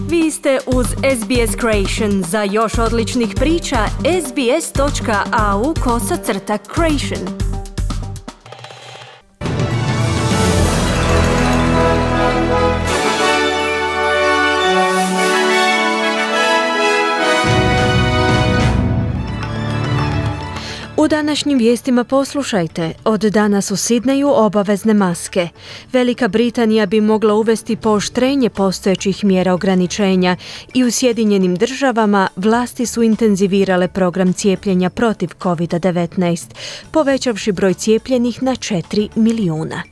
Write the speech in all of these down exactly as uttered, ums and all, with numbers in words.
Vi ste uz S B S Creation. Za još odličnih priča, sbs.au kosacrta creation. U današnjim vijestima poslušajte. Od danas u Sidneju obavezne maske. Velika Britanija bi mogla uvesti pooštrenje postojećih mjera ograničenja i u Sjedinjenim državama vlasti su intenzivirale program cijepljenja protiv covid devetnaest, povećavši broj cijepljenih na četiri milijuna.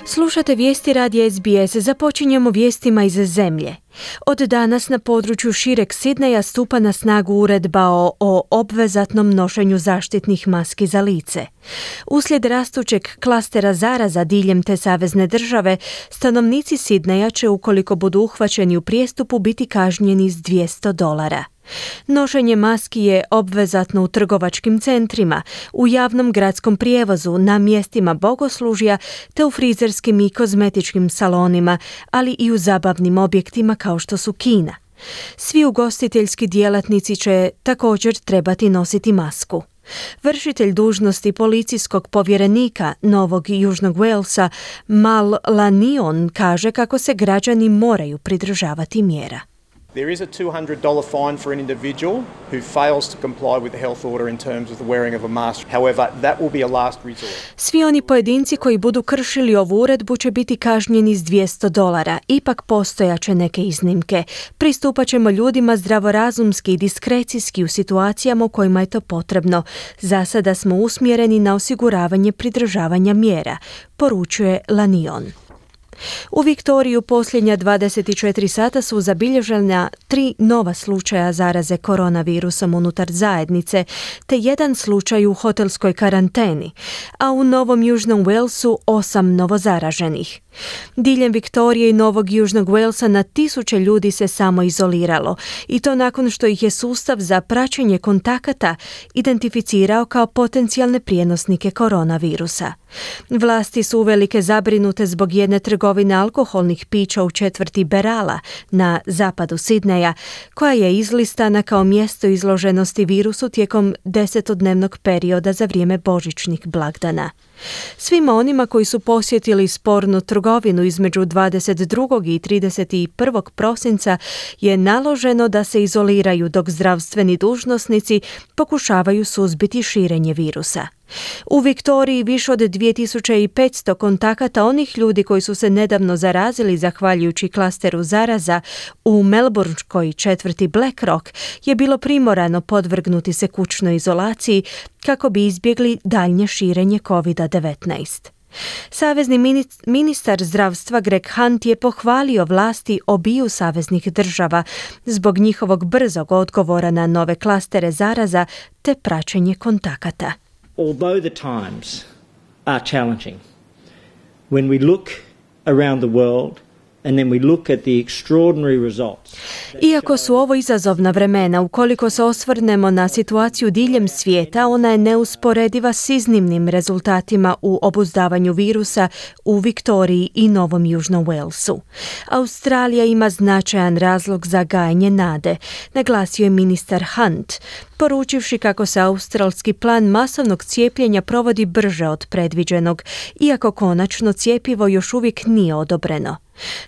Slušate vijesti radija S B S. Započinjemo vijestima iz zemlje. Od danas na području šireg Sidneja stupa na snagu uredba o, o obvezatnom nošenju zaštitnih maski za lice. Uslijed rastućeg klastera zaraza diljem te savezne države, stanovnici Sidneja će, ukoliko budu uhvaćeni u prijestupu, biti kažnjeni s dvjesto dolara. Nošenje maski je obvezatno u trgovačkim centrima, u javnom gradskom prijevozu, na mjestima bogoslužja te u frizerskim i kozmetičkim salonima, ali i u zabavnim objektima kao što su kina. Svi ugostiteljski djelatnici će također trebati nositi masku. Vršitelj dužnosti policijskog povjerenika Novog Južnog Walesa Mal Lanion kaže kako se građani moraju pridržavati mjera. There is a two hundred dollars fine for an individual who fails to comply with the health order in terms of the wearing of a mask. However, that will be a last resort. Svi oni pojedinci koji budu kršili ovu uredbu će biti kažnjeni s dvjesto dolara. Ipak postojaće neke iznimke. Pristupat ćemo ljudima zdravorazumski i diskrecijski u situacijama u kojima je to potrebno. Za sada smo usmjereni na osiguravanje pridržavanja mjera, poručuje Lanion. U Viktoriju posljednja dvadeset četiri sata su zabilježena tri nova slučaja zaraze koronavirusom unutar zajednice, te jedan slučaj u hotelskoj karanteni, a u Novom Južnom Walesu osam novozaraženih. Diljem Viktorije i Novog Južnog Walesa na tisuće ljudi se samo izoliralo, i to nakon što ih je sustav za praćenje kontakata identificirao kao potencijalne prijenosnike koronavirusa. Vlasti su uvelike zabrinute zbog jedne trgovine alkoholnih pića u četvrti Berala na zapadu Sidneja, koja je izlistana kao mjesto izloženosti virusu tijekom desetodnevnog perioda za vrijeme božićnih blagdana. Svima onima koji su posjetili spornu trgovinu između dvadeset drugog i trideset prvog prosinca je naloženo da se izoliraju dok zdravstveni dužnosnici pokušavaju suzbiti širenje virusa. U Viktoriji više od dvije tisuće petsto kontakata onih ljudi koji su se nedavno zarazili zahvaljujući klasteru zaraza u melbourneškoj četvrti Black Rock je bilo primorano podvrgnuti se kućnoj izolaciji kako bi izbjegli daljnje širenje covid devetnaest. Savezni ministar zdravstva Greg Hunt je pohvalio vlasti obiju saveznih država zbog njihovog brzog odgovora na nove klastere zaraza te praćenje kontakata. Although the times are challenging, when we look around the world and then we look at the extraordinary results. Iako su ovo izazovna vremena, ukoliko se osvrnemo na situaciju diljem svijeta, ona je neusporediva s iznimnim rezultatima u obuzdavanju virusa u Viktoriji i Novom Južnom Walesu. Australija ima značajan razlog za gajanje nade, naglasio je ministar Hunt, poručivši kako se australski plan masovnog cijepljenja provodi brže od predviđenog, iako konačno cjepivo još uvijek nije odobreno.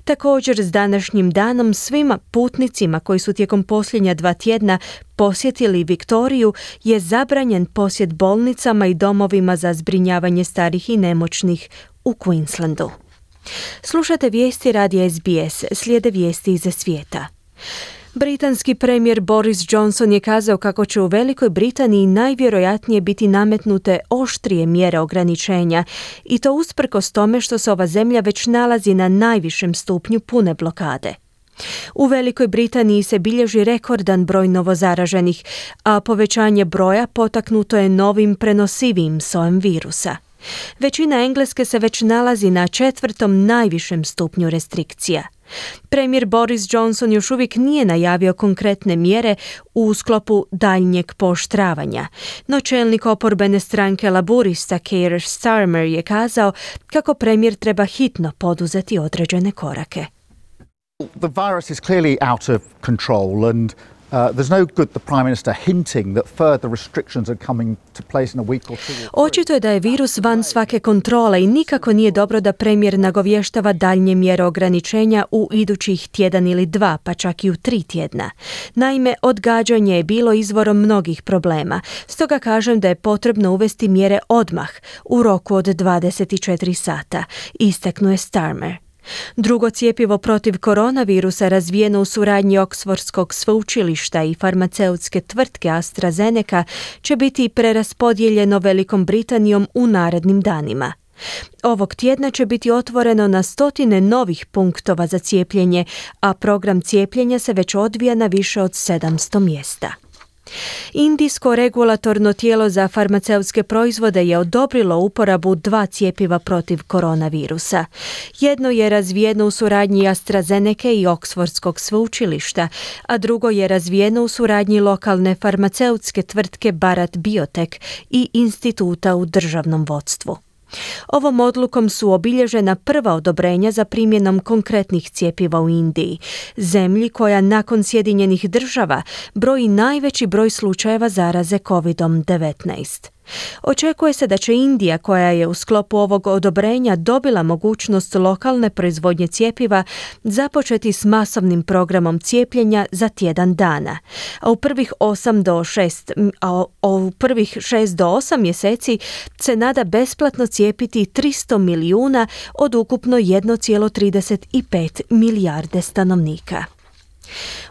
Također, s današnjim danom svima putnicima koji su tijekom posljednja dva tjedna posjetili Viktoriju je zabranjen posjet bolnicama i domovima za zbrinjavanje starih i nemoćnih u Queenslandu. Slušate vijesti radija S B S, slijede vijesti iz svijeta. Britanski premijer Boris Johnson je kazao kako će u Velikoj Britaniji najvjerojatnije biti nametnute oštrije mjere ograničenja, i to usprkos tome što se ova zemlja već nalazi na najvišem stupnju pune blokade. U Velikoj Britaniji se bilježi rekordan broj novozaraženih, a povećanje broja potaknuto je novim prenosivijim sojem virusa. Većina Engleske se već nalazi na četvrtom najvišem stupnju restrikcija. Premijer Boris Johnson još uvijek nije najavio konkretne mjere u sklopu daljnjeg pooštravanja, no čelnik oporbene stranke Laburista Keir Starmer je kazao kako premijer treba hitno poduzeti određene korake. The virus is clearly out of control and Uh, there's no good the Prime Minister hinting that further restrictions are coming to place in a week or two. Očito je da je virus van svake kontrole i nikako nije dobro da premijer nagovještava daljnje mjere ograničenja u idućih tjedan ili dva, pa čak i u tri tjedna. Naime, odgađanje je bilo izvorom mnogih problema, stoga kažem da je potrebno uvesti mjere odmah, u roku od dvadeset četiri sata, istaknuo Starmer. Drugo cjepivo protiv koronavirusa razvijeno u suradnji Oxfordskog sveučilišta i farmaceutske tvrtke AstraZeneca će biti preraspodijeljeno Velikom Britanijom u narednim danima. Ovog tjedna će biti otvoreno na stotine novih punktova za cijepljenje, a program cijepljenja se već odvija na više od sedamsto mjesta. Indijsko regulatorno tijelo za farmaceutske proizvode je odobrilo uporabu dva cjepiva protiv koronavirusa. Jedno je razvijeno u suradnji AstraZeneca i Oxfordskog sveučilišta, a drugo je razvijeno u suradnji lokalne farmaceutske tvrtke Bharat Biotech i instituta u državnom vodstvu. Ovom odlukom su obilježena prva odobrenja za primjenom konkretnih cjepiva u Indiji, zemlji koja nakon Sjedinjenih država broji najveći broj slučajeva zaraze kovidom devetnaest. Očekuje se da će Indija, koja je u sklopu ovog odobrenja dobila mogućnost lokalne proizvodnje cjepiva, započeti s masovnim programom cijepljenja za tjedan dana. A u prvih osam do šest, a u prvih šest do osam mjeseci se nada besplatno cijepiti tristo milijuna od ukupno jedan zarez trideset pet milijarde stanovnika.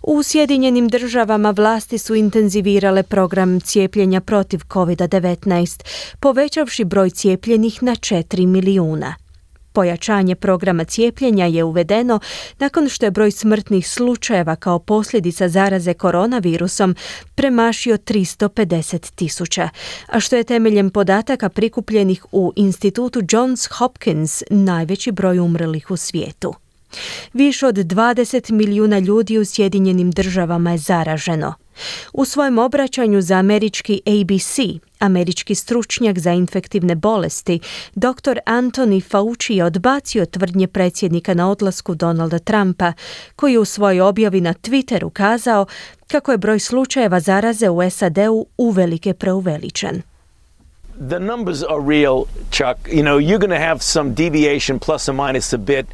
U Sjedinjenim državama vlasti su intenzivirale program cijepljenja protiv kovid devetnaest, povećavši broj cijepljenih na četiri milijuna. Pojačanje programa cijepljenja je uvedeno nakon što je broj smrtnih slučajeva kao posljedica zaraze koronavirusom premašio tristo pedeset tisuća, a što je temeljem podataka prikupljenih u institutu Johns Hopkins najveći broj umrlih u svijetu. Više od dvadeset milijuna ljudi u Sjedinjenim državama je zaraženo. U svojem obraćanju za američki A B C, američki stručnjak za infektivne bolesti, doktor Anthony Fauci je odbacio tvrdnje predsjednika na odlasku Donalda Trumpa, koji je u svojoj objavi na Twitteru kazao kako je broj slučajeva zaraze u S A D-u uvelike preuveličan. The numbers are real, Chuck. You know, you're going to have some deviation plus or minus a bit.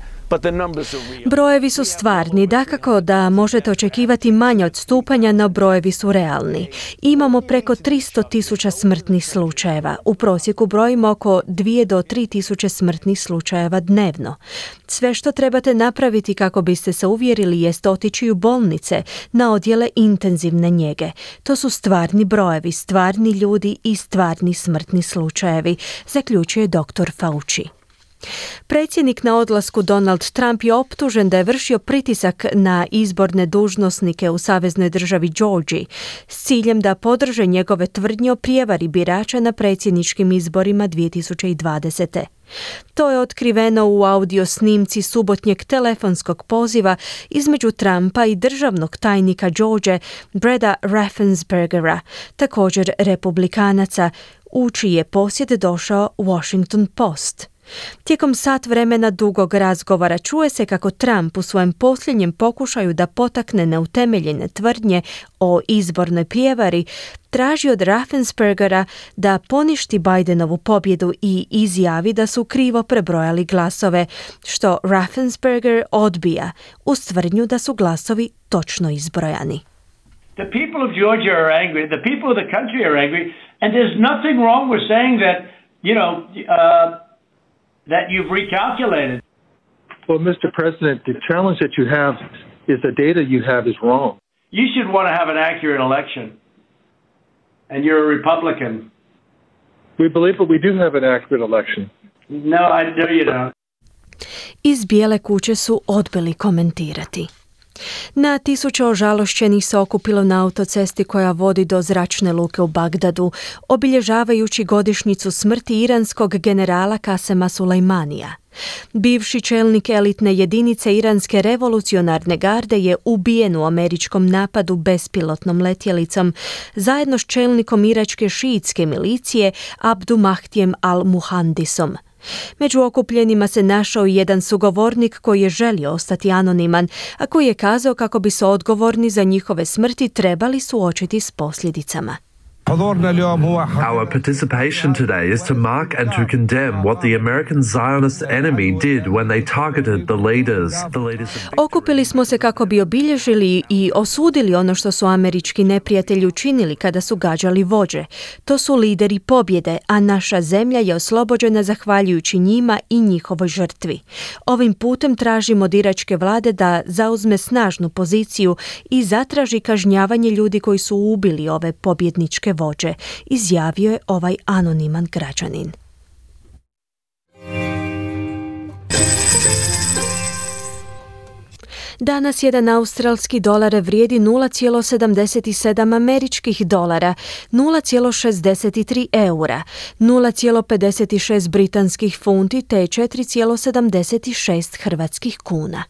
Brojevi su stvarni, dakako da možete očekivati manje odstupanja, no brojevi su realni. Imamo preko tristo tisuća smrtnih slučajeva. U prosjeku brojimo oko dvije do tri tisuće smrtnih slučajeva dnevno. Sve što trebate napraviti kako biste se uvjerili jest otići u bolnice, na odjele intenzivne njege. To su stvarni brojevi, stvarni ljudi i stvarni smrtni slučajevi, zaključuje doktor Fauci. Predsjednik na odlasku Donald Trump je optužen da je vršio pritisak na izborne dužnosnike u saveznoj državi Georgiji s ciljem da podrže njegove tvrdnje o prijevari birača na predsjedničkim izborima dvije tisuće dvadesete. To je otkriveno u audio snimci subotnjeg telefonskog poziva između Trumpa i državnog tajnika Georgije Breda Raffenspergera, također republikanaca, u čiji je posjed došao Washington Post. Tijekom sat vremena dugog razgovora čuje se kako Trump u svojem posljednjem pokušaju da potakne neutemeljene tvrdnje o izbornoj prijevari traži od Raffenspergera da poništi Bidenovu pobjedu i izjavi da su krivo prebrojali glasove, što Raffensperger odbija uz tvrdnju da su glasovi točno izbrojani. The people of Georgia are angry, the people of the country are angry, and there's nothing wrong with saying that, you know, uh, that you've recalculated. Well, Mister President, the challenge that you have is the data you have is wrong. You should want to have an accurate election. And you're a Republican. We believe that we do have an accurate election. No, I know you don't. Iz Bijele kuće su odbili komentirati. Na tisuće ožalošćenih se okupilo na autocesti koja vodi do zračne luke u Bagdadu, obilježavajući godišnjicu smrti iranskog generala Kasema Sulejmanija. Bivši čelnik elitne jedinice iranske revolucionarne garde je ubijen u američkom napadu bespilotnom letjelicom zajedno s čelnikom iračke šiitske milicije Abdu Mahdijem al-Muhandisom. Među okupljenima se našao i jedan sugovornik koji je želio ostati anoniman, a koji je kazao kako bi se odgovorni za njihove smrti trebali suočiti s posljedicama. Our participation today is to mark and to condemn what the American Zionist enemy did when they targeted the leaders. The leaders of... Okupili smo se kako bi obilježili i osudili ono što su američki neprijatelji učinili kada su gađali vođe. To su lideri pobjede, a naša zemlja je oslobođena zahvaljujući njima i njihovoj žrtvi. Ovim putem tražimo od iračke vlade da zauzme snažnu poziciju i zatraži kažnjavanje ljudi koji su ubili ove pobjedničke vođe, izjavio je ovaj anoniman građanin. Danas jedan australski dolar vrijedi nula zarez sedamdeset sedam američkih dolara, nula zarez šezdeset tri eura, nula zarez pedeset šest britanskih funti te četiri zarez sedamdeset šest hrvatskih kuna.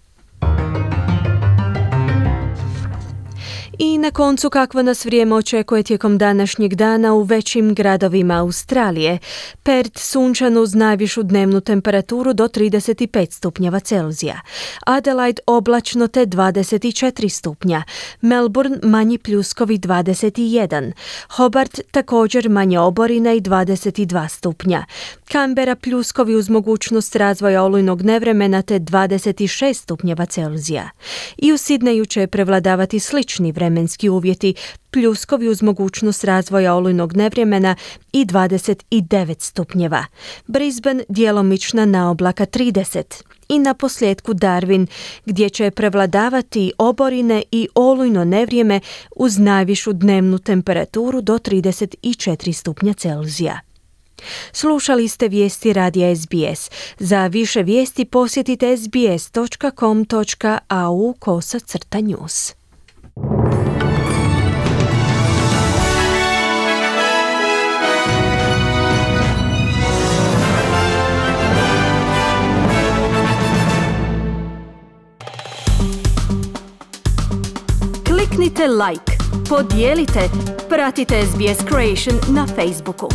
I na koncu kakvo nas vrijeme očekuje tijekom današnjeg dana u većim gradovima Australije. Perth sunčan uz najvišu dnevnu temperaturu do trideset pet stupnjeva Celzija. Adelaide oblačno te dvadeset četiri stupnja. Melbourne manji pljuskovi dvadeset jedan. Hobart također manje oborina i dvadeset dva stupnja. Canberra pljuskovi uz mogućnost razvoja olujnog nevremena te dvadeset šest stupnjeva Celzija. I u Sidneju će prevladavati slični vremenski uvjeti, pljuskovi uz mogućnost razvoja olujnog nevremena i dvadeset devet stupnjeva. Brisbane djelomična naoblaka trideset. I na posljedku Darwin, gdje će prevladavati oborine i olujno nevrijeme uz najvišu dnevnu temperaturu do trideset četiri stupnja Celzija. Slušali ste vijesti radija S B S. Za više vijesti posjetite sbs točka com točka a u kosa crta news. Kliknite like, podijelite, pratite S B S Creation na Facebooku.